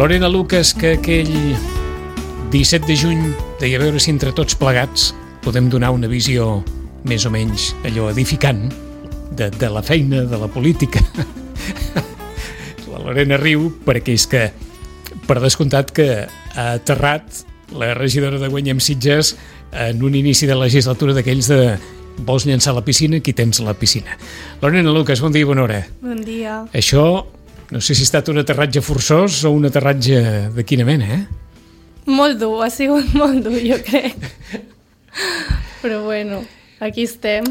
Lorena Lucas, que aquell 17 de juny deia veure si entre tots plegats podem donar una visió més o menys allò edificant de la feina, de la política. La Lorena riu perquè és que, per descomptat, que ha aterrat la regidora de Guanyem Sitges en un inici de legislatura d'aquells de vols llançar a la piscina, aquí tens la piscina. Lorena Lucas, bon dia i bona hora. Bon dia. Això, no sé si ha estat un aterratge forçós o un aterratge de quina mena, Molt dur, ha sigut molt dur, jo crec. Però bueno, aquí estem.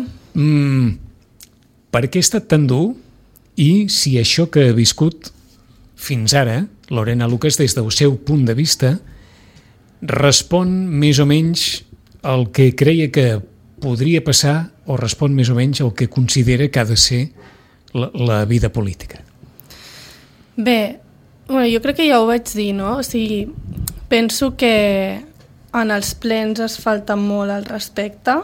Per què ha estat tan dur i si això que ha viscut fins ara, Lorena Lucas, des del seu punt de vista, respon més o menys al que creia que podria passar o respon més o menys al que considera que ha de ser la vida política? Bé, jo crec que ja ho vaig dir, no? O sigui, penso que en els plens es falta molt al respecte,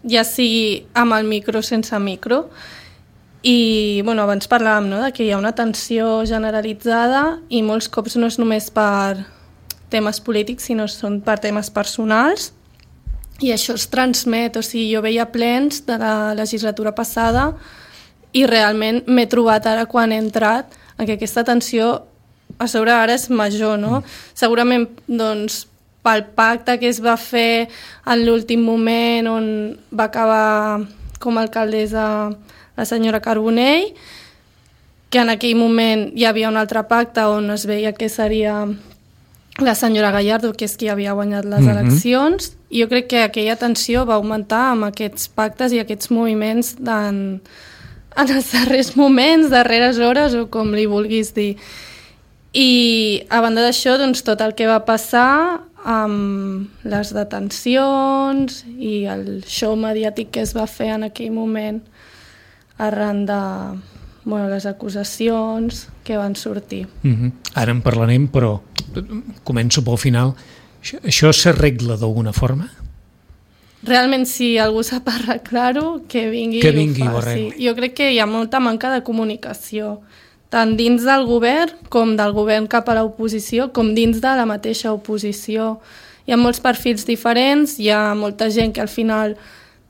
ja sigui amb el micro o sense micro, i abans parlàvem, no?, de que hi ha una tensió generalitzada i molts cops no és només per temes polítics, sinó són per temes personals, i això es transmet. O sigui, jo veia plens de la legislatura passada i realment m'he trobat ara quan he entrat que aquesta tensió a sobre ara és major, no? Segurament, doncs, pel pacte que es va fer en l'últim moment on va acabar com a alcaldessa la senyora Carbonell, que en aquell moment hi havia un altre pacte on es veia que seria la senyora Gallardo, que és qui havia guanyat les eleccions, i jo crec que aquella tensió va augmentar amb aquests pactes i aquests moviments en els darrers moments, darreres hores, o com li vulguis dir. I a banda d'això, doncs, tot el que va passar amb les detencions i el show mediàtic que es va fer en aquell moment arran de les acusacions que van sortir. Ara en parlarem, però començo pel final. Això s'arregla d'alguna forma? Realment, si algú sap arreglar-ho, que vingui i ho faci. Jo crec que hi ha molta manca de comunicació, tant dins del govern com del govern cap a l'oposició, com dins de la mateixa oposició. Hi ha molts perfils diferents, hi ha molta gent que al final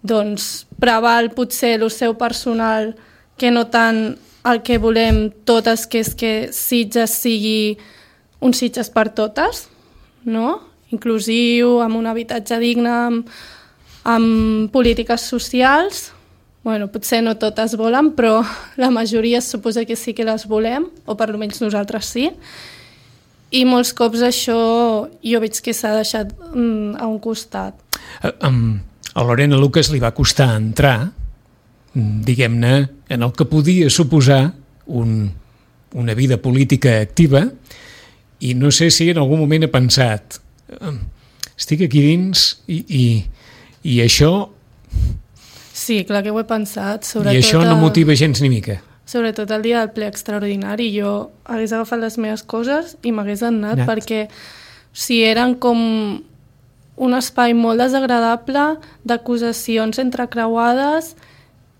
doncs, preval potser el seu personal que no tant el que volem totes, que és que Sitges sigui un Sitges per totes, no? Inclusiu, amb un habitatge digne, amb polítiques socials. Potser no totes volen, però la majoria es suposa que sí que les volem, o per almenys nosaltres sí. I molts cops això jo veig que s'ha deixat a un costat. A Lorena Lucas li va costar entrar, diguem-ne, en el que podia suposar una vida política activa, i no sé si en algun moment ha pensat estic aquí dins i això... Sí, clar que ho he pensat. I això no motiva gens ni mica. Sobretot el dia del ple extraordinari, jo hagués agafat les meves coses i m'hagués anat, perquè eren com un espai molt desagradable d'acusacions entrecreuades,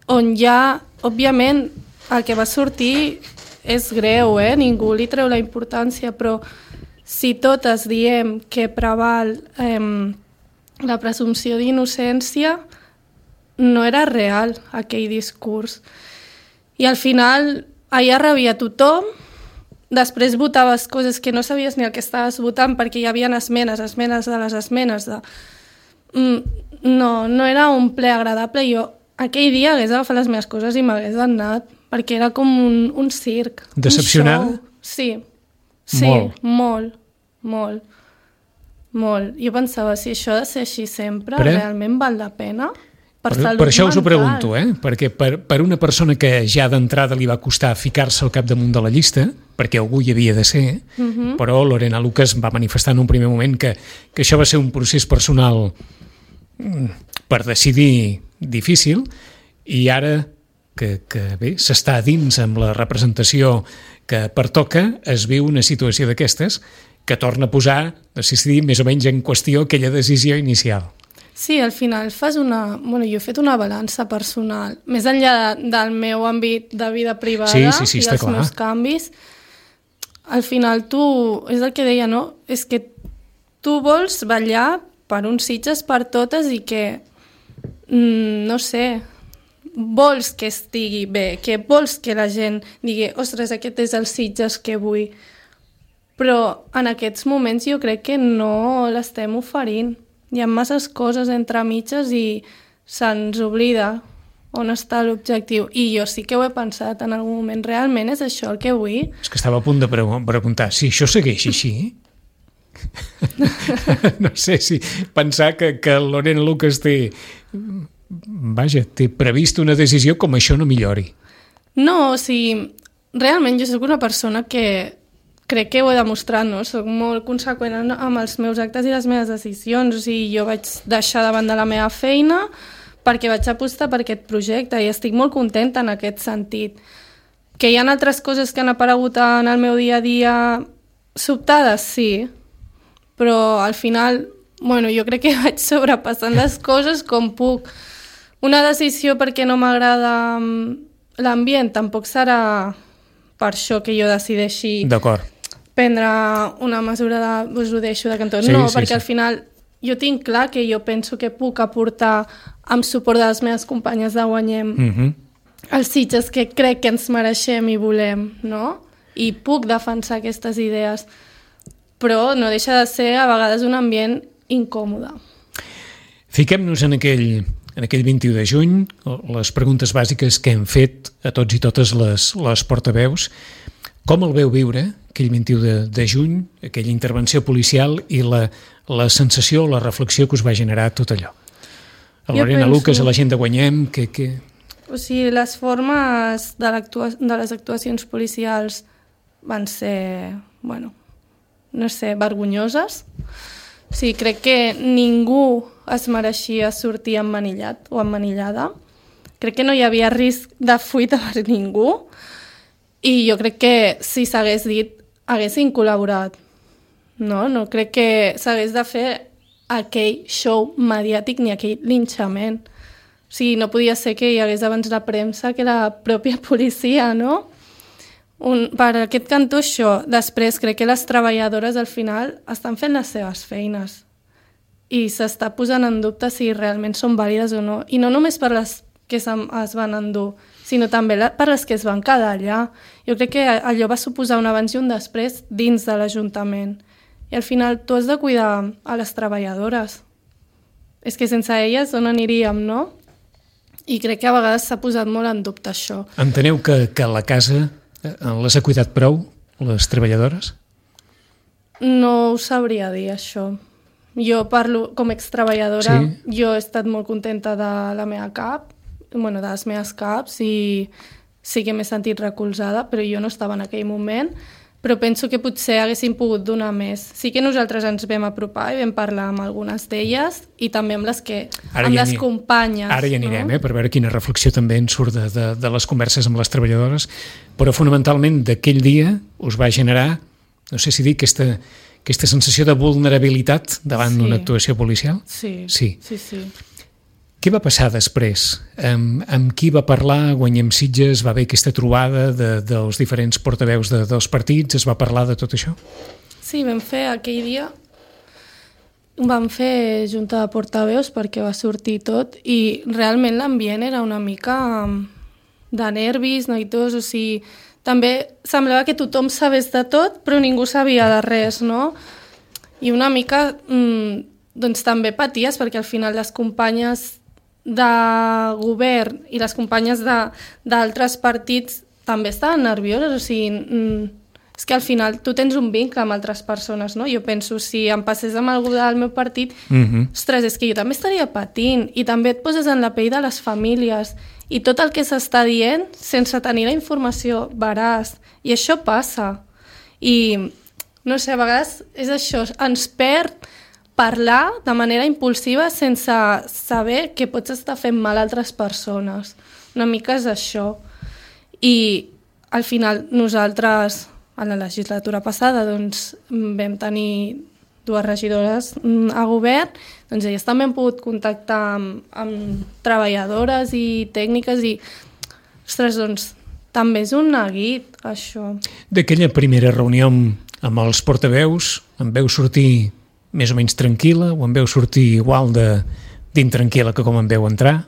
on ja, òbviament, el que va sortir és greu, ningú li treu la importància, però si totes diem que preval la presumpció d'innocència, no era real aquell discurs. I al final allà rebia tothom, després votaves coses que no sabies ni el que estaves votant perquè hi havia esmenes de les esmenes. No era un ple agradable. Jo aquell dia hagués agafat les meves coses i m'hagués anat, perquè era com un circ. Decepcionada? Sí, molt. Jo pensava, si això ha de ser així sempre, realment val la pena? Per això us ho pregunto, perquè per una persona que ja d'entrada li va costar ficar-se al capdamunt de la llista, perquè algú hi havia de ser, però Lorena Lucas va manifestar en un primer moment que això va ser un procés personal per decidir difícil, i ara que bé, s'està dins amb la representació que pertoca, es viu una situació d'aquestes que torna a posar, no sé si dir, més o menys en qüestió aquella decisió inicial. Sí, al final fas una... jo he fet una balança personal, més enllà del meu àmbit de vida privada i dels meus canvis. al final tu, és el que deia, no? És que tu vols ballar per uns Sitges per totes i que, no sé, vols que estigui bé, que vols que la gent digui, ostres, aquest és el Sitges que vull. Però en aquests moments jo crec que no l'estem oferint. Hi ha masses coses entre mitges i se'ns oblida on està l'objectiu. I jo sí que ho he pensat en algun moment. Realment és això el que vull? És que estava a punt de preguntar si això segueix així. No sé si pensar que Lorena Lucas té previst una decisió com això no millori. No, o sigui, realment jo sóc una persona que crec que ho he demostrat, no? Soc molt conseqüent amb els meus actes i les meves decisions. O sigui, jo vaig deixar davant de la meva feina perquè vaig apostar per aquest projecte i estic molt contenta en aquest sentit. Que hi ha altres coses que han aparegut en el meu dia a dia sobtades, sí, però al final, bueno, jo crec que vaig sobrepassant les coses com puc. Una decisió perquè no m'agrada l'ambient tampoc serà per això que jo decideixi prendre una mesura de doncs ho deixo de cantó. No, perquè al final jo tinc clar que jo penso que puc aportar amb suport de les meves companyes de Guanyem els Sitges que crec que ens mereixem i volem, no? I puc defensar aquestes idees, però no deixa de ser a vegades un ambient incòmode. Fiquem-nos en aquell 21 de juny, les preguntes bàsiques que hem fet a tots i totes les portaveus. Com el veu viure, aquell 21 de juny, aquella intervenció policial i la sensació, la reflexió que us va generar tot allò? A Lorena Lucas, a la gent de Guanyem, que... O sigui, les formes de les actuacions policials van ser, bueno, no sé, vergonyoses. O sigui, crec que ningú es mereixia sortir emmanillat o emmanillada. Crec que no hi havia risc de fuita per ningú i jo crec que si s'hagués dit haguessin col·laborat. No crec que s'hagués de fer aquell show mediàtic ni aquell linxament. O sigui, no podia ser que hi hagués abans la premsa que la pròpia policia, no? Per aquest cantó això. Després crec que les treballadores al final estan fent les seves feines i s'està posant en dubte si realment són vàlides o no. I no només per les que es van endur, sinó també per les que es van quedar allà. Jo crec que allò va suposar un abans i un després dins de l'Ajuntament. I al final tu has de cuidar a les treballadores. És que sense elles on aniríem, no? I crec que a vegades s'ha posat molt en dubte això. Enteneu que a la casa les ha cuidat prou, les treballadores? No ho sabria dir, això. Jo parlo com a extreballadora, jo he estat molt contenta de la meva cap, de les meves caps, i sí que m'he sentit recolzada, però jo no estava en aquell moment. Però penso que potser haguéssim pogut donar més. Sí que nosaltres ens vam apropar i vam parlar amb algunes d'elles i també amb les companyes. Ara hi anirem, per veure quina reflexió també en surt de les converses amb les treballadores, però fonamentalment d'aquell dia us va generar, no sé si dir, aquesta sensació de vulnerabilitat davant d'una actuació policial? Sí. Què va passar després? Amb qui va parlar Guanyem Sitges? Va haver aquesta trobada dels diferents portaveus dels partits? Es va parlar de tot això? Sí, vam fer aquell dia, vam fer junta de portaveus perquè va sortir tot i realment l'ambient era una mica de nervis, neguitós, o sigui, també semblava que tothom sabés de tot però ningú sabia de res, no? I una mica doncs també paties perquè al final les companyes de govern i les companyes d'altres partits també estaven nervioses, o sigui, és que al final tu tens un vincle amb altres persones, no? Jo penso, si em passés amb algú del meu partit, ostres, és que jo també estaria patint i també et poses en la pell de les famílies i tot el que s'està dient sense tenir la informació veraç, i això passa. I, no sé, a vegades és això, ens perd parlar de manera impulsiva sense saber que pots estar fent mal a altres persones. Una mica és això. I al final nosaltres, a la legislatura passada, doncs, vam tenir 2 regidores a govern, doncs elles també han pogut contactar amb treballadores i tècniques i, ostres, doncs, també és un neguit, això. D'aquella primera reunió amb els portaveus, em veu sortir més o menys tranquil·la o em veu sortir igual d'intranquil·la que com em veu entrar?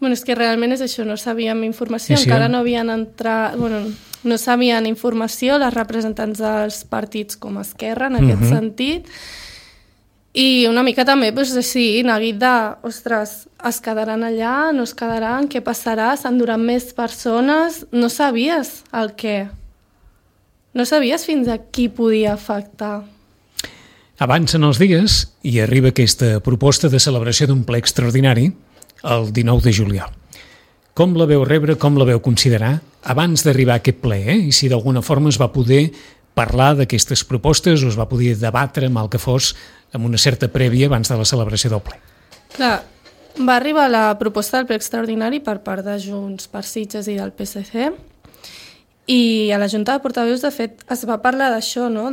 Bueno, és que realment és això, no sabíem informació, Sí. encara no havien entrat... Bueno, no sabien informació les representants dels partits com Esquerra, en aquest sentit, i una mica també, doncs, sí, neguit de, ostres, es quedaran allà, no es quedaran, què passarà, s'enduran més persones, no sabies el què. No sabies fins a qui podia afectar. Avancen els dies i arriba aquesta proposta de celebració d'un ple extraordinari el 19 de juliol. Com la veu rebre, com la veu considerar abans d'arribar a aquest ple, i si d'alguna forma es va poder parlar d'aquestes propostes o es va poder debatre mal que fos amb una certa prèvia abans de la celebració del ple? Clar, va arribar la proposta del ple extraordinari per part de Junts per Sitges i del PSC, i a la Junta de Portaveus, de fet, es va parlar d'això, no?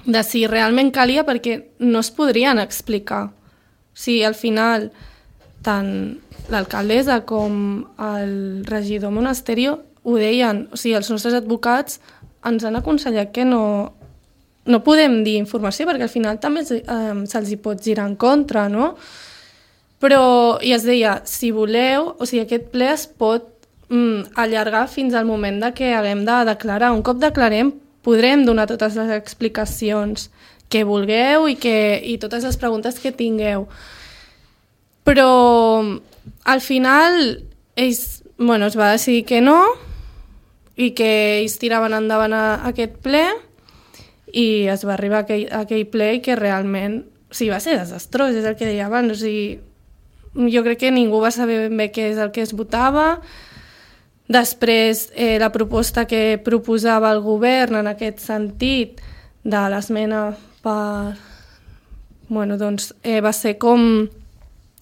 De si realment calia, perquè no es podrien explicar. Si al final tant l'alcaldessa com el regidor Monasterio ho deien, o sigui, els nostres advocats ens han aconsellat que no podem dir informació, perquè al final també se'ls hi pot girar en contra, no? Però, i es deia, si voleu, o sigui, aquest ple es pot allargar fins al moment de que haguem de declarar. Un cop declarem, podrem donar totes les explicacions que vulgueu i totes les preguntes que tingueu. Però al final es va decidir que no, i que ells tiraven endavant aquest ple, i es va arribar a aquell ple i que realment va ser desastrós, és el que deia abans. O sigui, jo crec que ningú va saber ben bé què és el que es votava. Després, la proposta que proposava el govern en aquest sentit de l'esmena va ser com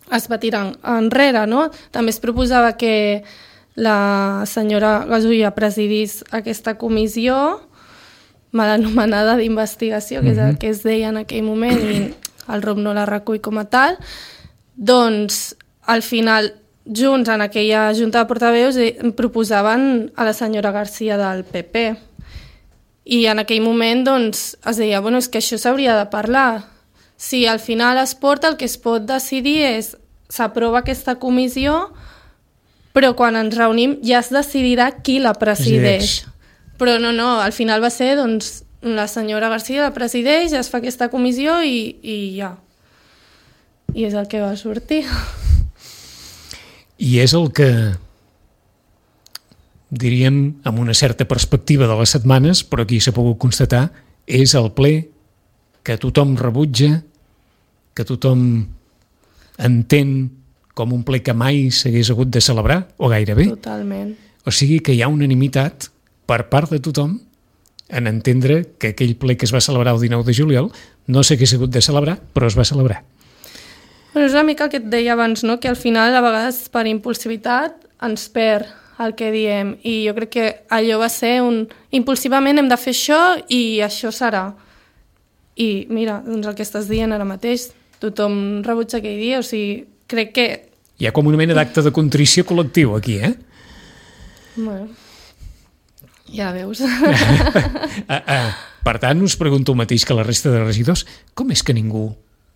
es va tirar enrere, no? També es proposava que la senyora Gasulla presidís aquesta comissió mal anomenada d'investigació, que és el que es deia en aquell moment, i el ROM no la recull com a tal. Doncs, al final, Junts, en aquella Junta de Portaveus, proposaven a la senyora García del PP. I en aquell moment doncs, es deia, és que això s'hauria de parlar. Si al final es porta, el que es pot decidir és s'aprova aquesta comissió, però quan ens reunim ja es decidirà qui la presideix. Però no, al final va ser, doncs, la senyora García la presideix, es fa aquesta comissió i ja. I és el que va sortir. I és el que, diríem, amb una certa perspectiva de les setmanes, però aquí s'ha pogut constatar, és el ple que tothom rebutja, que tothom entén com un ple que mai s'hagués hagut de celebrar, o gairebé. Totalment. O sigui que hi ha unanimitat per part de tothom en entendre que aquell ple que es va celebrar el 19 de juliol no s'hagués hagut de celebrar, però es va celebrar. És una mica el que et deia abans, no? Que al final, a vegades, per impulsivitat, ens perd el que diem. I jo crec que allò va ser impulsivament hem de fer això i això serà. I mira, doncs el que estàs dient ara mateix, tothom rebutja aquell dia, o sigui, crec que... Hi ha com una mena d'acte de contrició col·lectiu aquí, eh? Bueno, ja veus. Per tant, us pregunto el mateix que la resta de regidors, com és que ningú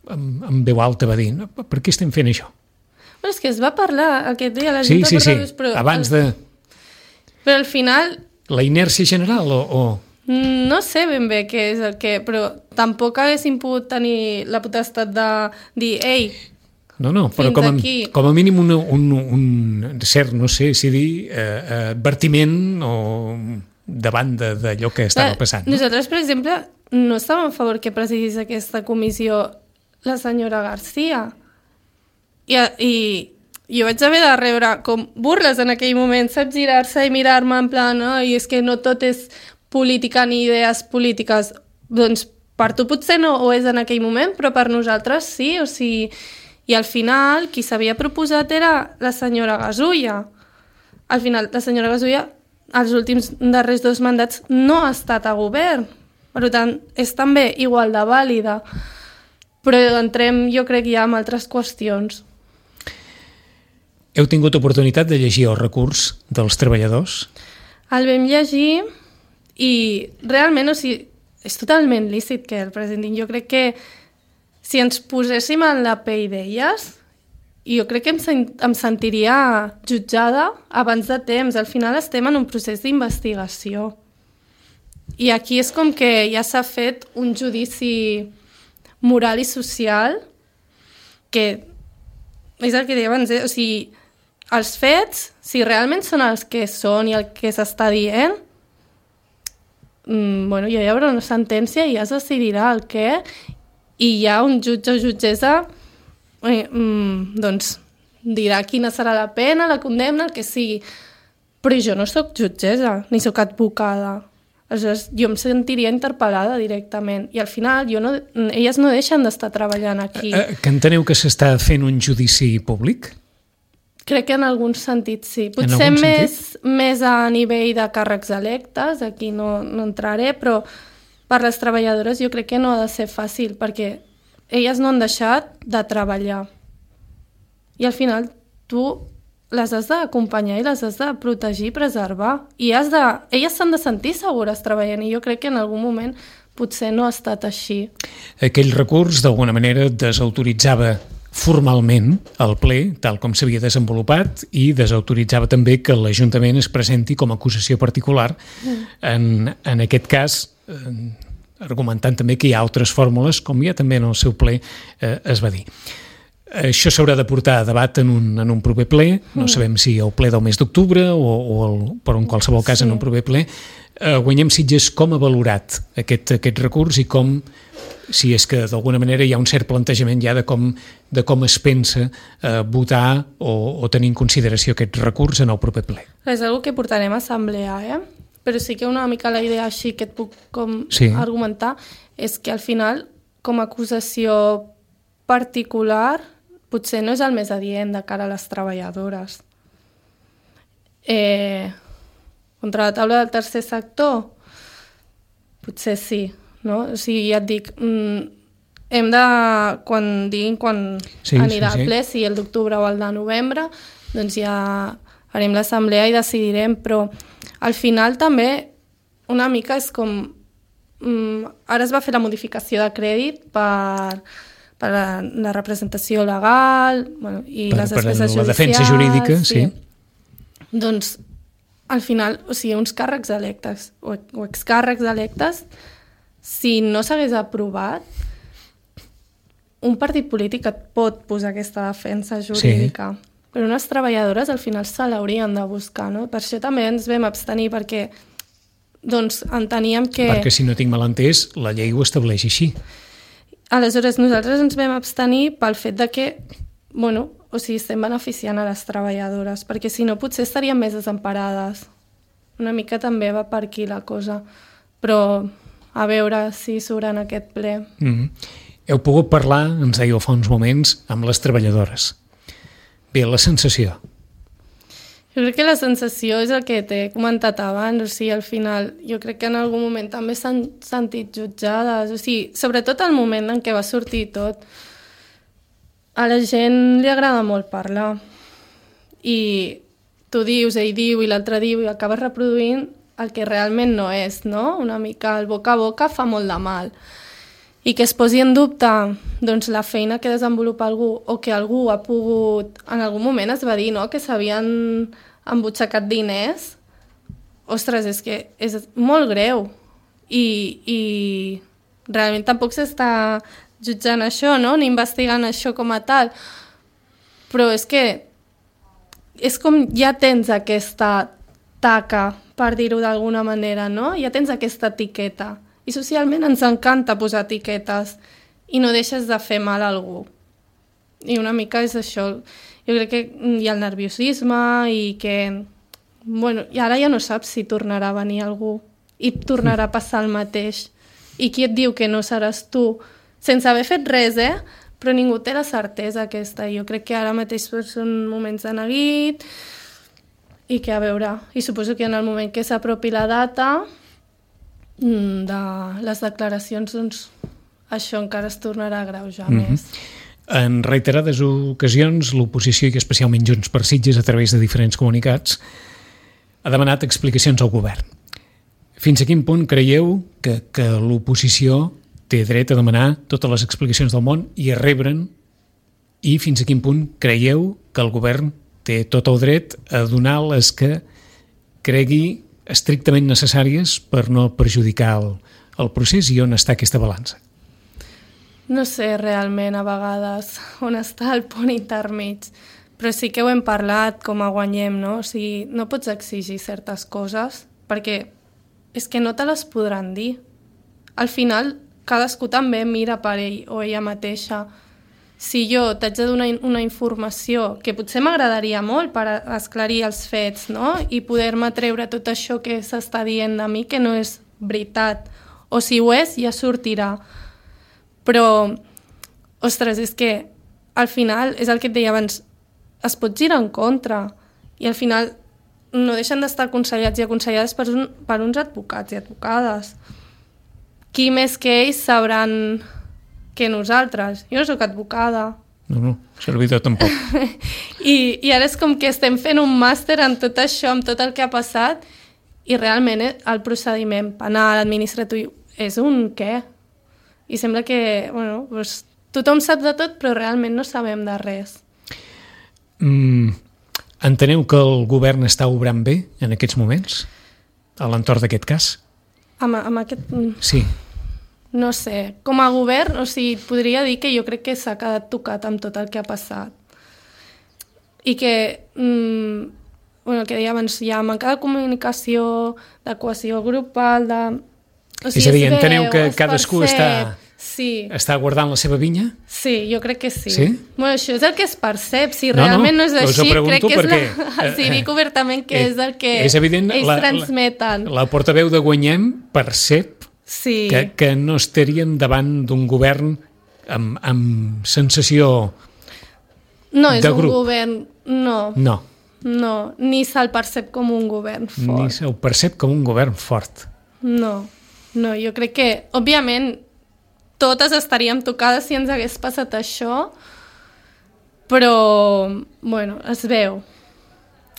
amb veu alta va dir, per què estem fent això? És que es va parlar aquest dia a la Junta de Portaveus, però... abans de... Però al final... La inèrcia general o... No sé ben bé què és el que... Però tampoc haguéssim pogut tenir la potestat de dir, ei, no, però com a mínim un cert, no sé si dir, advertiment o davant d'allò que estava passant. No? Nosaltres, per exemple, no estàvem a favor que presidís aquesta comissió la senyora García. I jo vaig haver de rebre com burles en aquell moment, saps, girar-se i mirar-me en plan, i és que no tot és política ni idees polítiques. Doncs per tu potser no ho és en aquell moment, però per nosaltres sí, o sigui... I al final, qui s'havia proposat era la senyora Gasulla. Al final, la senyora Gasulla, els últims darrers 2 mandats, no ha estat a govern. Per tant, és també igual de vàlida. Però entrem, jo crec, ja en altres qüestions. Heu tingut oportunitat de llegir el recurs dels treballadors? El vam llegir I realment, o sigui, és totalment lícit que el presentin. Jo crec que si ens poséssim en la pell d'elles, jo crec que em sentiria jutjada abans de temps. Al final estem en un procés d'investigació. I aquí és com que ja s'ha fet un judici moral i social que és el que deia abans, o sigui, els fets, si realment són els que són i el que s'està dient, bueno, ja hi haurà una sentència i ja es decidirà el què, i ja un jutge o jutgessa doncs dirà quina serà la pena, la condemna, el que sigui. Però jo no sóc jutgessa, ni sóc advocada. Aleshores, jo em sentiria interpel·lada directament. I al final elles no deixen d'estar treballant aquí. Que enteneu que s'està fent un judici públic? Crec que en algun sentit sí. Potser més a nivell de càrrecs electes, aquí no entraré, però per les treballadores jo crec que no ha de ser fàcil, perquè elles no han deixat de treballar. I al final tu les has d'acompanyar i les has de protegir i preservar. I elles s'han de sentir segures treballant, i jo crec que en algun moment potser no ha estat així. Aquell recurs, d'alguna manera, desautoritzava formalment el ple, tal com s'havia desenvolupat, i desautoritzava també que l'Ajuntament es presenti com a acusació particular. En aquest cas, argumentant també que hi ha altres fórmules, com ja també en el seu ple es va dir. Això s'haurà de portar a debat en un proper ple, no sabem si el ple del mes d'octubre però en qualsevol cas en un proper ple. Guanyem Sitges, com ha valorat aquest recurs i com, si és que d'alguna manera hi ha un cert plantejament ja de com es pensa votar o tenir en consideració aquest recurs en el proper ple. És una cosa que portarem a assemblea, però sí que una mica la idea així que et puc argumentar és que al final, com a acusació particular, potser no és el més adient de cara a les treballadores. Contra la taula del tercer sector? Potser sí, no? O sigui, ja et dic, hem de, quan anirà al ple, si el d'octubre o el de novembre, doncs ja farem l'assemblea i decidirem, però al final també una mica és com... Ara es va fer la modificació de crèdit per la representació legal i les despeses judicials. La defensa jurídica, sí. Doncs, al final, o sigui, uns càrrecs electes o excàrrecs electes, si no s'hagués aprovat, un partit polític et pot posar aquesta defensa jurídica. Sí. Però unes treballadores al final se l'haurien de buscar, no? Per això també ens vam abstenir, perquè doncs enteníem que... Perquè si no tinc mal entès, la llei ho estableix així. Aleshores, nosaltres ens vam abstenir pel fet de que, estem beneficiant a les treballadores, perquè si no potser estaríem més desemparades. Una mica també va per aquí la cosa, però a veure si surt en aquest ple. Heu pogut parlar, ens dèieu fa uns moments, amb les treballadores. Bé, la sensació. Jo crec que la sensació és el que t'he comentat abans, o sigui, al final jo crec que en algun moment també s'han sentit jutjades, o sigui, sobretot al moment en què va sortir tot. A la gent li agrada molt parlar i tu dius, ell diu i l'altre diu i acabes reproduint el que realment no és, no? Una mica el boca a boca fa molt de mal. I que es posi en dubte doncs, la feina que desenvolupa algú o que algú ha pogut... En algun moment es va dir, no?, que s'havien embutxacat diners. Ostres, és que és molt greu. I realment tampoc s'està jutjant això, no?, ni investigant això com a tal. Però és que és com ja tens aquesta taca, per dir-ho d'alguna manera, no? Ja tens aquesta etiqueta. I socialment ens encanta posar etiquetes i no deixes de fer mal a algú. I una mica és això. Jo crec que hi ha el nerviosisme i que... i ara ja no saps si tornarà a venir algú i tornarà a passar el mateix. I qui et diu que no seràs tu? Sense haver fet res, però ningú té la certesa aquesta. Jo crec que ara mateix són moments de neguit i que a veure... I suposo que en el moment que s'apropi la data... de les declaracions, doncs això encara es tornarà a agreujar més. En reiterades ocasions, l'oposició i especialment Junts per Sitges, a través de diferents comunicats, ha demanat explicacions al govern. Fins a quin punt creieu que l'oposició té dret a demanar totes les explicacions del món i a rebre'n, i fins a quin punt creieu que el govern té tot el dret a donar les que cregui estrictament necessàries per no perjudicar el procés, i on està aquesta balança? No sé realment a vegades on està el punt intermig, però sí que ho hem parlat com a Guanyem, no? O sigui, no pots exigir certes coses perquè és que no te les podran dir. Al final, cadascú també mira per ell o ella mateixa. Si jo t'haig de donar una informació que potser m'agradaria molt per esclarir els fets, no? I poder-me treure tot això que s'està dient de mi que no és veritat, o si ho és ja sortirà. Però, ostres, és que al final, és el que et deia abans, es pot girar en contra i al final no deixen d'estar aconsellats i aconsellades per uns advocats i advocades. Qui més que ells sabran que nosaltres? Jo no soc advocada. No, servidor tampoc. I ara és com que estem fent un màster en tot això, amb tot el que ha passat, i realment el procediment penal, administratiu, és un què? I sembla que, bueno, doncs, tothom sap de tot, però realment no sabem de res. Enteneu que el govern està obrant bé en aquests moments, a l'entorn d'aquest cas? Amb aquest... Sí. No sé, com a govern, o sigui, podria dir que jo crec que s'ha quedat tocat amb tot el que ha passat. I que, el que deia abans, hi ha manca de comunicació, de cohesió grupal, de... O sigui, és a dir, enteneu que cadascú sí. està guardant la seva vinya? Sí, jo crec que sí. Sí? Bueno, això és el que es percep. Si realment no és així, crec que és perquè, si dic obertament que és el que és evident, ells transmeten. La portaveu de Guanyem percep que no estaríem davant d'un govern amb sensació de grup. No és un govern, no. No, ni se'l percep com un govern fort. Ni se'l percep com un govern fort. No, jo crec que, òbviament, totes estaríem tocades si ens hagués passat això, però, bueno, es veu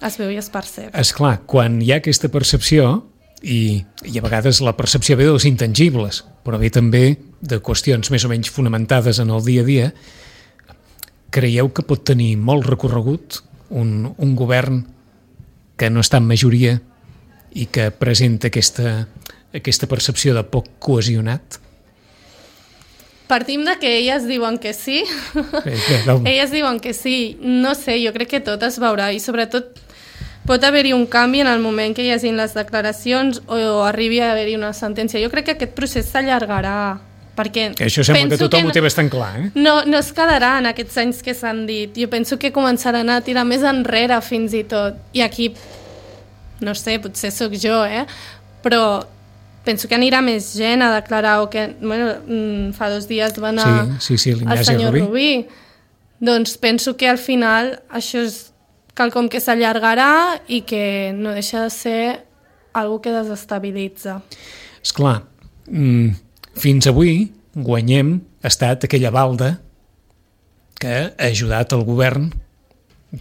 i es percep. Esclar, quan hi ha aquesta percepció, i a vegades la percepció ve dels intangibles, però ve també de qüestions més o menys fonamentades en el dia a dia, creieu que pot tenir molt recorregut un govern que no està en majoria i que presenta aquesta percepció de poc cohesionat? Partim de que elles diuen que sí. Elles diuen que sí. No sé, jo crec que tot es veurà i sobretot pot haver-hi un canvi en el moment que hi hagin les declaracions o arribi a haver-hi una sentència. Jo crec que aquest procés s'allargarà. Perquè això sembla que tothom ho té bastant clar, eh? No es quedarà en aquests anys que s'han dit. Jo penso que començaran a tirar més enrere fins i tot. I aquí, no sé, potser sóc jo, però penso que anirà més gent a declarar o que, bueno, fa 2 dies va anar el senyor Rubí. Doncs penso que al final això és quelcom que s'allargarà i que no deixa de ser algo que desestabilitza. Esclar, fins avui Guanyem ha estat aquella balda que ha ajudat el govern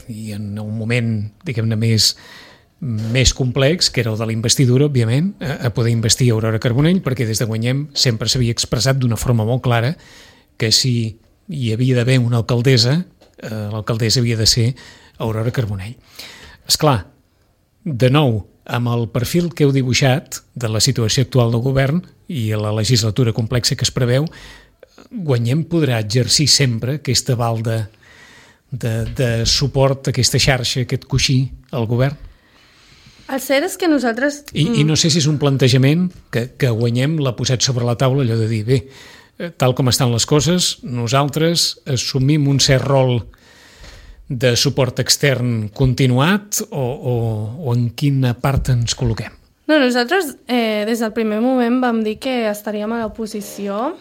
i en un moment, diguem-ne, més complex, que era el de la investidura, òbviament, a poder investir Aurora Carbonell, perquè des de Guanyem sempre s'havia expressat d'una forma molt clara que si hi havia d'haver una alcaldessa, l'alcaldessa havia de ser Aurora Carbonell. Esclar, de nou, amb el perfil que heu dibuixat de la situació actual del govern i la legislatura complexa que es preveu, Guanyem podrà exercir sempre aquesta balda de suport, aquesta xarxa, aquest coixí al govern? El cert és que nosaltres... I no sé si és un plantejament que Guanyem l'ha posat sobre la taula, allò de dir, bé, tal com estan les coses, nosaltres assumim un cert rol de suport extern continuat o en quina part ens col·loquem? No, nosaltres des del primer moment vam dir que estaríem a l'oposició,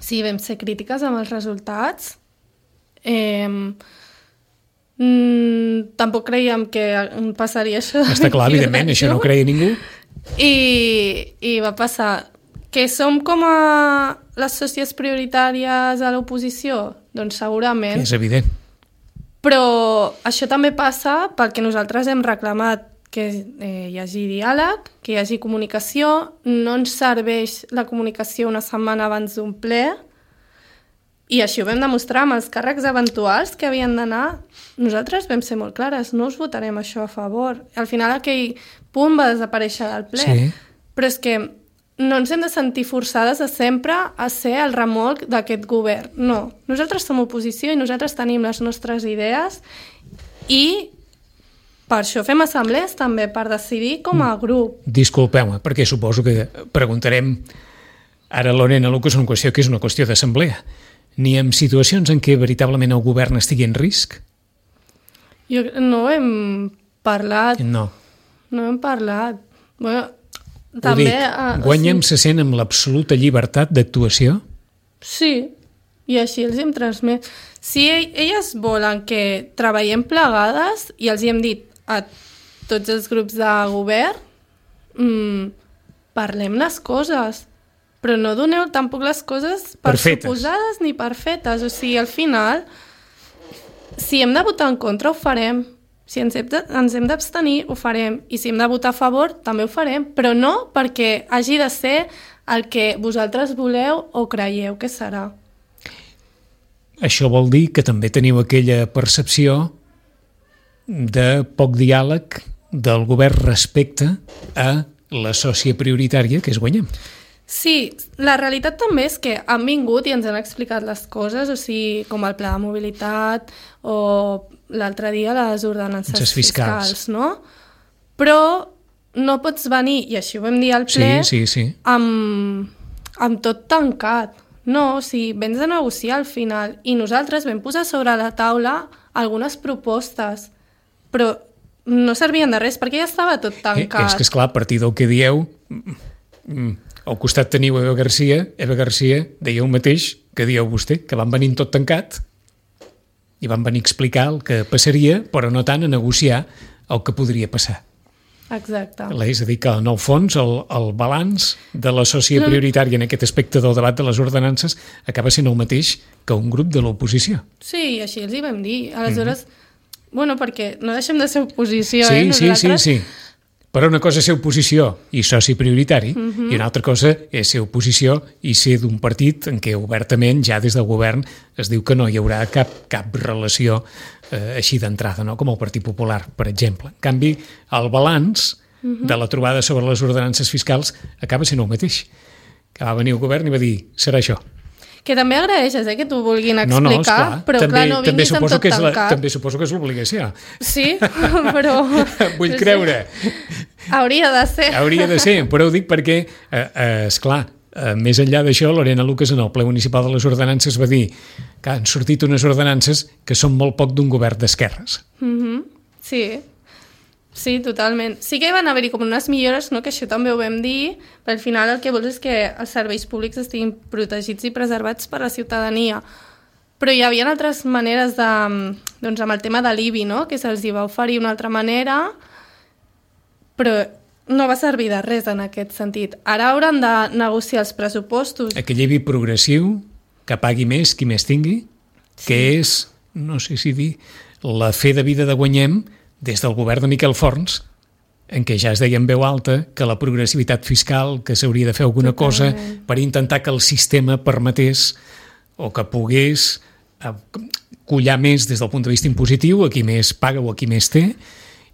sí, vam ser crítiques amb els resultats, tampoc creiem que passaria això. Està clar, evidentment, això no ho creia ningú. I va passar. Que som com a les sòcies prioritàries a l'oposició? Doncs segurament. És evident. Però això també passa pel que nosaltres hem reclamat, que hi hagi diàleg, que hi hagi comunicació, no ens serveix la comunicació una setmana abans d'un ple, i així ho vam demostrar amb els càrrecs eventuals que havien d'anar. Nosaltres vam ser molt clares, no us votarem això a favor. Al final aquell punt va desaparèixer del ple. Sí. Però és que no ens hem de sentir forçades a sempre a ser el remolc d'aquest govern. No, nosaltres som oposició i nosaltres tenim les nostres idees i per això fem assemblees també, per decidir com a grup. Disculpeu-me, perquè suposo que preguntarem ara a Lorena Lucas una qüestió que és una qüestió d'assemblea. Ni en situacions en què veritablement el govern estigui en risc? No hem parlat. No. No hem parlat. Bueno, també, Guanyem se sent amb l'absoluta llibertat d'actuació? Sí, i així els hem transmès. Si elles volen que treballem plegades, i els hi hem dit a tots els grups de govern, parlem les coses, però no doneu tampoc les coses per suposades ni per fetes. O sigui, al final, si hem de votar en contra, ho farem. Si ens hem d'abstenir, ho farem. I si hem de votar a favor, també ho farem. Però no perquè hagi de ser el que vosaltres voleu o creieu que serà. Això vol dir que també teniu aquella percepció de poc diàleg del govern respecte a la sòcia prioritària que és Guanyem. Sí, la realitat també és que han vingut i ens han explicat les coses, o sigui, com el pla de mobilitat o l'altre dia les ordenances fiscals, no? Però no pots venir, i així ho vam dir al ple, amb tot tancat. No, o sigui, vens a negociar al final, i nosaltres vam posar sobre la taula algunes propostes, però no servien de res, perquè ja estava tot tancat. És que, esclar, a partir del que dieu... Al costat teniu Eva Garcia deia el mateix que dieu vostè, que van venir tot tancat i van venir a explicar el que passaria, però no tant a negociar el que podria passar. Exacte. És a dir, que en el fons el balanç de la sòcia prioritària en aquest aspecte del debat de les ordenances acaba sent el mateix que un grup de l'oposició. Sí, així els hi vam dir. Aleshores, bueno, perquè no deixem de ser oposició, nosaltres... Sí. Però una cosa és ser oposició i soci prioritari, i una altra cosa és ser oposició i ser d'un partit en què obertament, ja des del govern, es diu que no hi haurà cap relació així d'entrada, no? Com el Partit Popular, per exemple. En canvi, el balanç de la trobada sobre les ordenances fiscals acaba sent el mateix. Que va venir el govern i va dir, serà això. Que també agraeixes, que t'ho vulguin explicar, però clar, no vinguis amb tot tancat. També suposo que és l'obligació. Sí, però... Vull creure. Hauria de ser. Hauria de ser, però ho dic perquè, esclar, més enllà d'això, Lorena Lucas en el ple municipal de les ordenances va dir que han sortit unes ordenances que són molt poc d'un govern d'esquerres. Sí, totalment. Sí que van haver-hi com unes millores, no? Que això també ho vam dir, però al final el que vols és que els serveis públics estiguin protegits i preservats per la ciutadania. Però hi havia altres maneres doncs amb el tema de l'IBI, no? Que se'ls va oferir una altra manera, però no va servir de res en aquest sentit. Ara hauran de negociar els pressupostos. Aquell IBI progressiu, que pagui més qui més tingui, que és, no sé si dir, la fe de vida de Guanyem des del govern de Miquel Forns, en què ja es deia en veu alta que la progressivitat fiscal, que s'hauria de fer alguna cosa per intentar que el sistema permetés o que pogués collar més des del punt de vista impositiu a qui més paga o a qui més té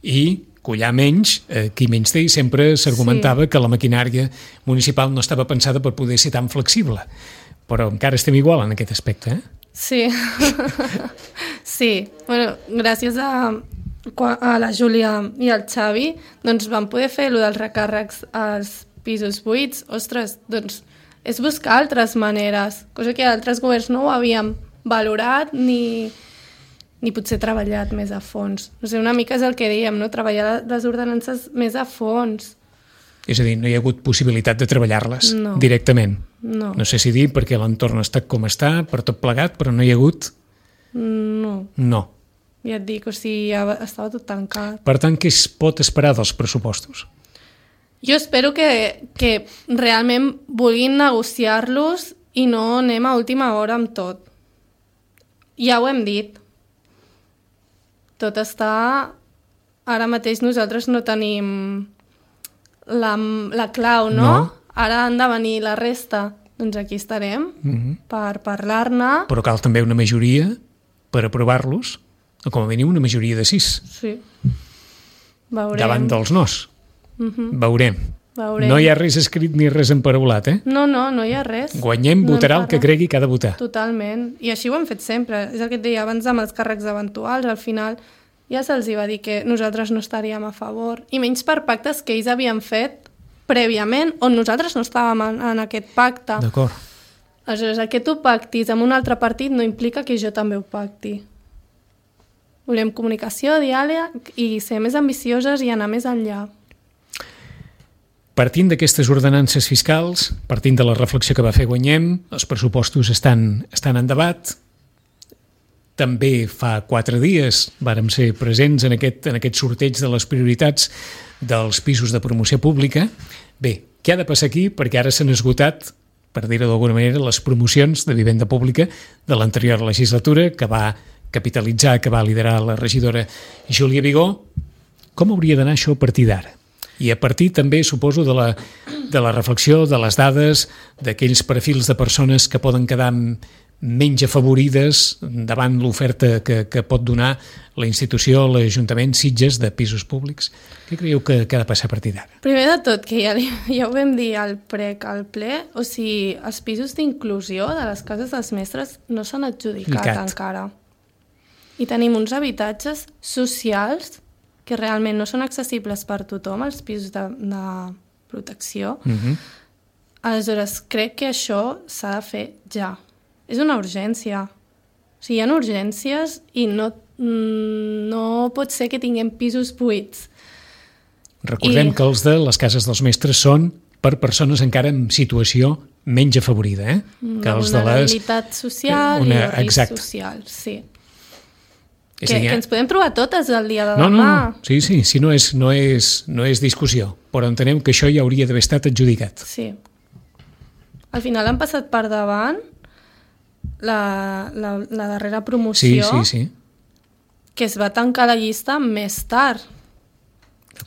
i collar menys a qui menys té, i sempre s'argumentava que la maquinària municipal no estava pensada per poder ser tan flexible. Però encara estem igual en aquest aspecte, Sí. Sí. Bueno, gràcies a la Júlia i al Xavi, doncs vam poder fer allò dels recàrrecs als pisos buits. Ostres, doncs és buscar altres maneres, cosa que altres governs no ho havíem valorat ni potser treballat més a fons. No sé, una mica és el que dèiem, no? Treballar les ordenances més a fons. És a dir, no hi ha hagut possibilitat de treballar-les directament. No sé si dir perquè l'entorn està com està, per tot plegat, però no hi ha hagut... No. Ja et dic, o sigui, ja estava tot tancat. Per tant, què es pot esperar dels pressupostos? Jo espero que realment vulguin negociar-los i no anem a última hora amb tot. Ja ho hem dit. Tot està ara mateix nosaltres no tenim la clau, no? Ara han de venir la resta. Doncs aquí estarem per parlar-ne. Però cal també una majoria per aprovar-los, o com a mínim una majoria de 6. Sí. Veurem. Davant dels nos. Veurem. Veurem. No hi ha res escrit ni res emparaulat, eh? No hi ha res. Guanyem, votarà el que cregui que ha de votar. Totalment. I així ho hem fet sempre. És el que et deia abans amb els càrrecs eventuals. Al final ja se'ls va dir que nosaltres no estaríem a favor. I menys per pactes que ells havien fet prèviament, on nosaltres no estàvem en aquest pacte. D'acord. Aleshores, el que tu pactis amb un altre partit no implica que jo també ho pacti. Volem comunicació, diàleg i ser més ambicioses i anar més enllà. Partint d'aquestes ordenances fiscals, partint de la reflexió que va fer Guanyem, els pressupostos estan en debat. També fa 4 dies vàrem ser presents en aquest sorteig de les prioritats dels pisos de promoció pública. Bé, què ha de passar aquí? Perquè ara s'han esgotat, per dir-ho d'alguna manera, les promocions de vivenda pública de l'anterior legislatura, que va capitalitzar, que va liderar la regidora Júlia Vigó. Com hauria d'anar això a partir d'ara? I a partir també, suposo, de la reflexió, de les dades, d'aquells perfils de persones que poden quedar menys afavorides davant l'oferta que pot donar la institució, l'Ajuntament, Sitges, de pisos públics. Què creieu que ha de passar a partir d'ara? Primer de tot, que ja ho vam dir al ple, o sigui, els pisos d'inclusió de les cases dels mestres no s'han adjudicat encara. I tenim uns habitatges socials que realment no són accessibles per tothom, els pisos de protecció. Aleshores, crec que això s'ha de fer ja. És una urgència. O sigui, hi ha urgències i no pot ser que tinguem pisos buits. Recordem que els de les cases dels mestres són per persones encara en situació menys afavorida, eh? Una vulnerabilitat social i risc social, sí. Que ens podem trobar totes el dia de demà. No. Sí, no és discussió, però entenem que això ja hauria d'haver estat adjudicat. Sí. Al final han passat per davant la darrera promoció, sí. que es va tancar la llista més tard.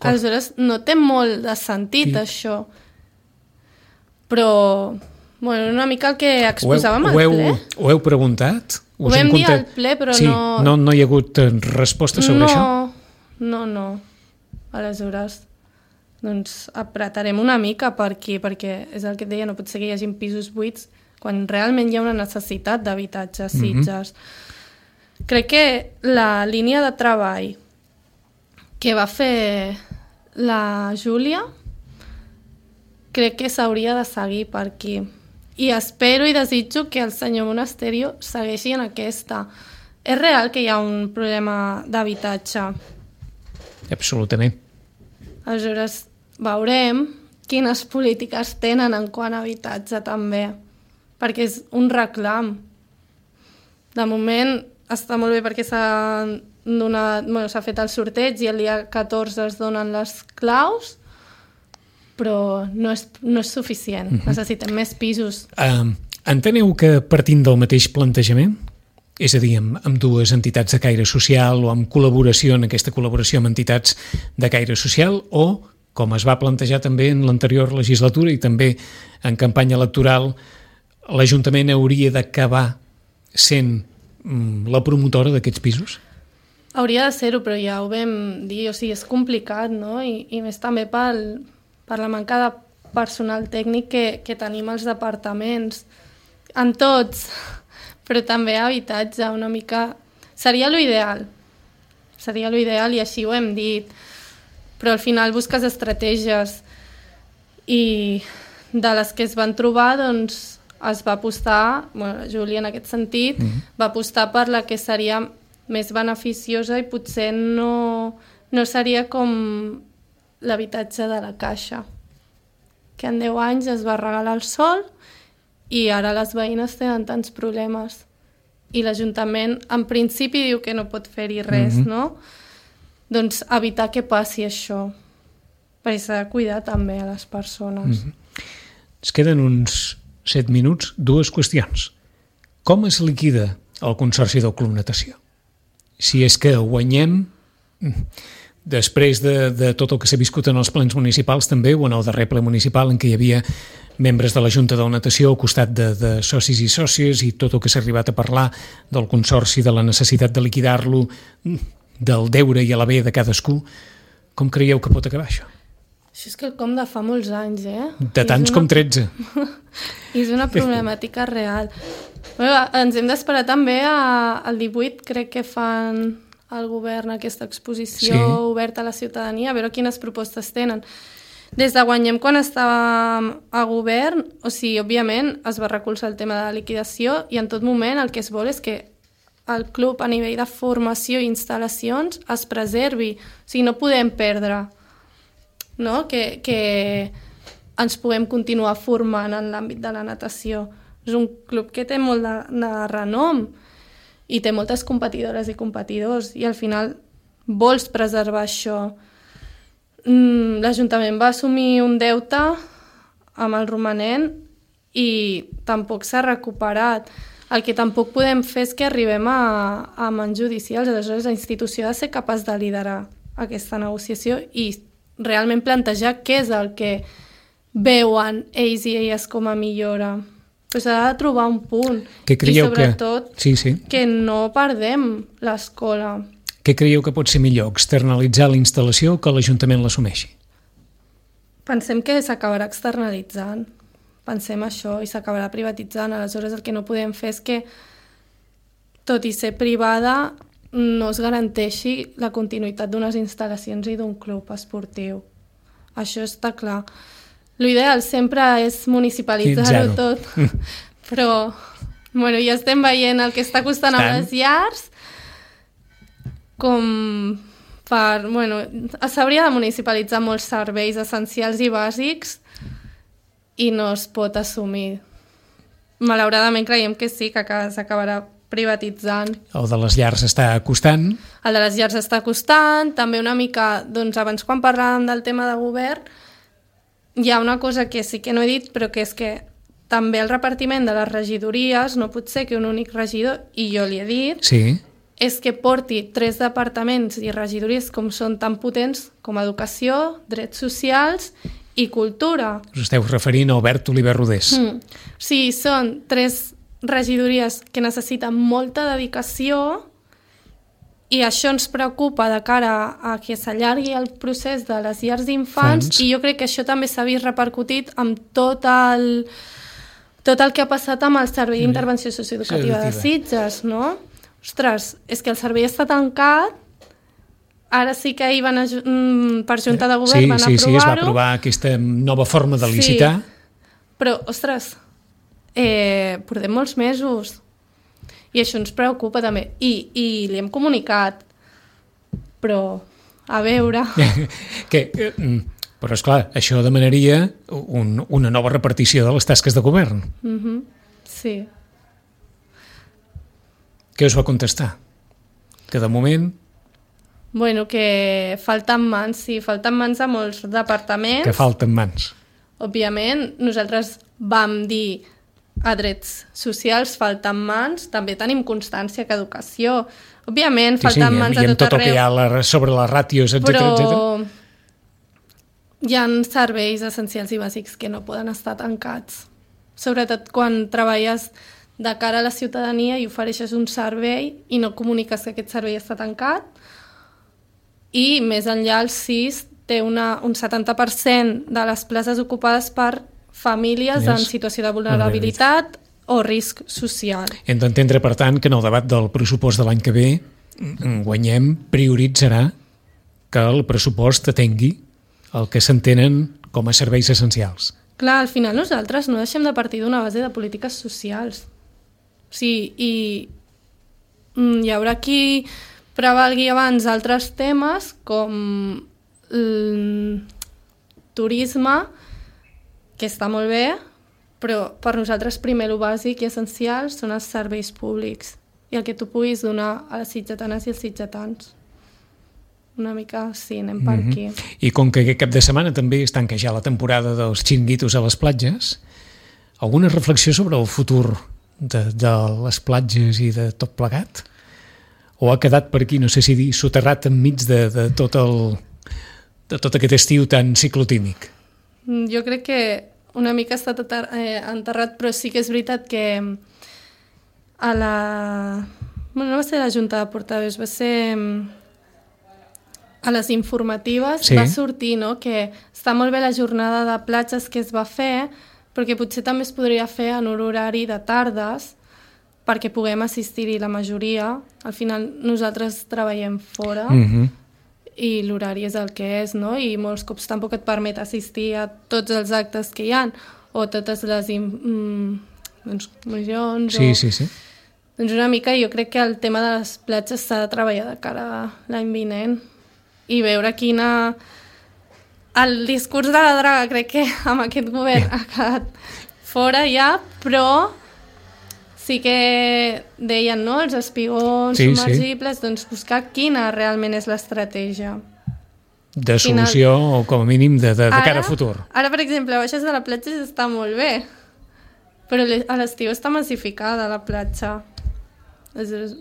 Aleshores, no té molt de sentit, això. Però, una mica el que exposàvem al ple. Ho heu preguntat? Ho vam dir al ple, però no... No hi ha hagut resposta sobre això? No. Aleshores, doncs apretarem una mica per aquí, perquè és el que et deia, no pot ser que hi hagi pisos buits quan realment hi ha una necessitat d'habitatge a Sitges. Crec que la línia de treball que va fer la Júlia crec que s'hauria de seguir per aquí. I espero i desitjo que el senyor Monasterio segueixi en aquesta. És real que hi ha un problema d'habitatge. Absolutament. Aleshores, veurem quines polítiques tenen en quant a habitatge també, perquè és un reclam. De moment està molt bé perquè s'ha fet el sorteig i el dia 14 es donen les claus, però no és suficient. Necessitem més pisos. Enteneu que partint del mateix plantejament, és a dir, amb dues entitats de caire social o amb col·laboració, en aquesta col·laboració amb entitats de caire social, o, com es va plantejar també en l'anterior legislatura i també en campanya electoral, l'Ajuntament hauria d'acabar sent la promotora d'aquests pisos? Hauria de ser-ho, però ja ho vam dir, o sigui, és complicat, no? I més també per la manca de personal tècnic que tenim als departaments, en tots, però també habitatge, una mica... Seria l'ideal i així ho hem dit, però al final busques estratègies i de les que es van trobar, doncs, es va apostar, Júlia en aquest sentit, va apostar per la que seria més beneficiosa i potser no seria com l'habitatge de la Caixa, que en 10 anys es va regalar el sol i ara les veïnes tenen tants problemes. I l'Ajuntament, en principi, diu que no pot fer-hi res, no? Doncs evitar que passi això, perquè s'ha de cuidar també a les persones. Es queden uns 7 minuts, 2 qüestions. Com es liquida el Consorci del Club Natació? Si és que Guanyem després de tot el que s'ha viscut en els plens municipals també, o en el darrer ple municipal en què hi havia membres de la Junta de la Natació al costat de socis i sòcies i tot el que s'ha arribat a parlar del consorci, de la necessitat de liquidar-lo, del deure i a l'haver de cadascú, com creieu que pot acabar això? Això és quelcom de fa molts anys, De tants com 13. És una problemàtica real. Bueno, ens hem d'esperar també al 18, crec que fan el govern aquesta exposició oberta a la ciutadania, a veure quines propostes tenen. Des de Guanyem, quan estàvem a govern, o sigui, òbviament es va recolzar el tema de la liquidació i en tot moment el que es vol és que el club a nivell de formació i instal·lacions es preservi. O sigui, no podem perdre, no? Que ens puguem continuar formant en l'àmbit de la natació. És un club que té molt de renom i té moltes competidores i competidors i al final vols preservar això. L'Ajuntament va assumir un deute amb el romanent i tampoc s'ha recuperat. El que tampoc podem fer és que arribem a mans judicials. Aleshores, la institució ha de ser capaç de liderar aquesta negociació i realment plantejar què és el que veuen ells i elles com a millora. Però s'ha de trobar un punt. I sobretot que no perdem l'escola. Què creieu que pot ser millor, externalitzar la instal·lació o que l'Ajuntament l'assumeixi? Pensem que s'acabarà externalitzant. Pensem això i s'acabarà privatitzant. Aleshores el que no podem fer és que, tot i ser privada, no es garanteixi la continuïtat d'unes instal·lacions i d'un club esportiu. Això està clar. L'ideal sempre és municipalitzar-ho tot, però ja estem veient el que està costant amb les llars, com per... s'hauria de municipalitzar molts serveis essencials i bàsics i no es pot assumir. Malauradament creiem que sí, que s'acabarà privatitzant. El de les llars està costant. El de les llars està costant. També una mica, abans quan parlàvem del tema de govern, hi ha una cosa que sí que no he dit, però que és que també el repartiment de les regidories no pot ser que un únic regidor, i jo li he dit, és que porti 3 departaments i regidories com són tan potents com educació, drets socials i cultura. Us esteu referint a Albert Oliver Rodés. Sí, són 3 regidories que necessiten molta dedicació i això ens preocupa de cara a que s'allargui el procés de les llars d'infants i jo crec que això també s'ha vist repercutit amb tot el que ha passat amb el Servei d'Intervenció Socioeducativa de Sitges, no? Ostres, és que el servei està tancat, ara sí que ahir per Junta de Govern van aprovar-ho. Sí, es va aprovar aquesta nova forma de licitar. Però, ostres, portem molts mesos i això ens preocupa també i li hem comunicat, però a veure... Però esclar, això demanaria una nova repartició de les tasques de govern. Sí. Què us va contestar? Que de moment... Que falten mans, sí, falten mans a molts departaments. Que falten mans. Òbviament, nosaltres vam dir a drets socials falten mans, també tenim constància que educació. Òbviament, falten mans a tot arreu. I amb tot el que hi ha sobre les ràtios, etcètera. Però hi ha serveis essencials i bàsics que no poden estar tancats. Sobretot quan treballes de cara a la ciutadania i ofereixes un servei i no comuniques que aquest servei està tancat. I més enllà el CIS té un 70% de les places ocupades per famílies en situació de vulnerabilitat o risc social. Hem d'entendre, per tant, que en el debat del pressupost de l'any que ve Guanyem prioritzarà que el pressupost atengui el que s'entenen com a serveis essencials. Clar, al final nosaltres no deixem de partir d'una base de polítiques socials. Sí, i hi haurà qui prevalgui abans altres temes com el turisme, que està molt bé, però per nosaltres primer el bàsic i essencial són els serveis públics i el que tu puguis donar a les sitgetanes i els sitgetans. Una mica, sí, anem per aquí. I com que aquest cap de setmana també es tanca ja la temporada dels xiringuitos a les platges, alguna reflexió sobre el futur de les platges i de tot plegat? o ha quedat per aquí, no sé si dir, soterrat enmig de tot aquest estiu tan ciclotímic? Jo crec que una mica ha estat enterrat, però sí que és veritat que a la... Bueno, no va ser la Junta de Portaveus, va ser a les informatives, va sortir, no?, que està molt bé la jornada de platges que es va fer, perquè potser també es podria fer en un horari de tardes, perquè puguem assistir-hi la majoria. Al final nosaltres treballem fora i l'horari és el que és, no? I molts cops tampoc et permet assistir a tots els actes que hi ha o totes les comissions. Sí. Doncs una mica jo crec que el tema de les platges s'ha de treballar de cara a l'any vinent i veure quina... El discurs de la draga crec que amb aquest govern ha quedat fora ja, però sí que deien, no?, els espigons submergibles, doncs buscar quina realment és l'estratègia. De solució o com a mínim de cara a futur. Ara, per exemple, a baixes de la platja està molt bé, però a l'estiu està massificada la platja.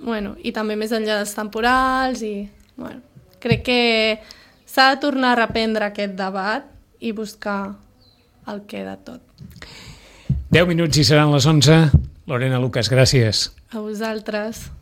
Bueno, i també més enllà dels temporals i... Bueno, crec que s'ha de tornar a reprendre aquest debat i buscar el que de tot. 10 minuts i seran les 11. Lorena Lucas, gràcies. A vosaltres.